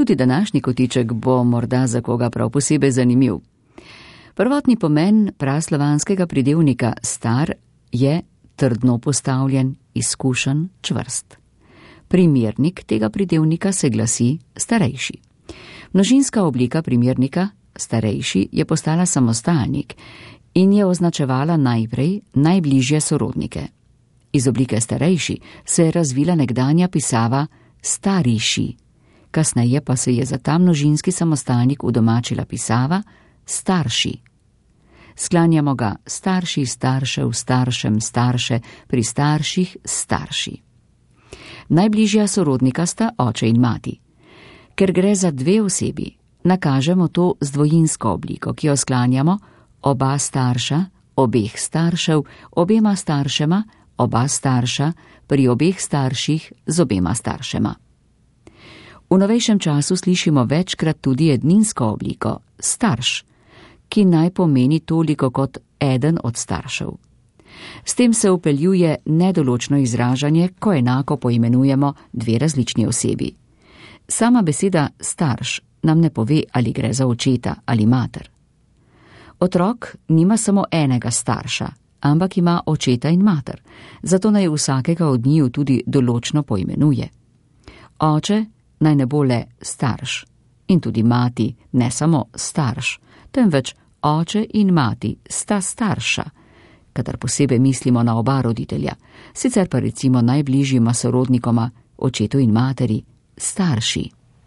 Tudi današnji kotiček bo morda za koga prav posebej zanimiv. Prvotni pomen praslovanskega pridevnika star je trdno postavljen, izkušen, čvrst. Primernik tega pridevnika se glasi starejši. Množinska oblika primernika starejši je postala samostalnik in je označevala najprej najbližje sorodnike. Iz oblike starejši se je razvila nekdanja pisava stariši, kasneje pa se je za ta množinski samostalnik udomačila pisava starši. Sklanjamo ga starši, staršev, staršem, starše, pri starših, starši. Najbližja sorodnika sta oče in mati. Ker gre za dve osebi, nakažemo to z dvojinsko obliko, ki jo sklanjamo oba starša, obeh staršev, obema staršema, oba starša, pri obeh starših z obema staršema. V novejšem času slišimo večkrat tudi edninsko obliko starš, ki naj pomeni toliko kot eden od staršev. S tem se vpeljuje nedoločno izražanje, ko enako poimenujemo dve različni osebi. Sama beseda starš nam ne pove, ali gre za očeta ali mater. Otrok nima samo enega starša, ampak ima očeta in mater, zato naj vsakega od njiju tudi določno poimenuje. Oče naj ne bo le starš in tudi mati ne samo starš, temveč oče in mati sta starša, kadar posebej mislimo na oba roditelja, sicer pa recimo najbližjima sorodnikoma, očetu in materi, starši.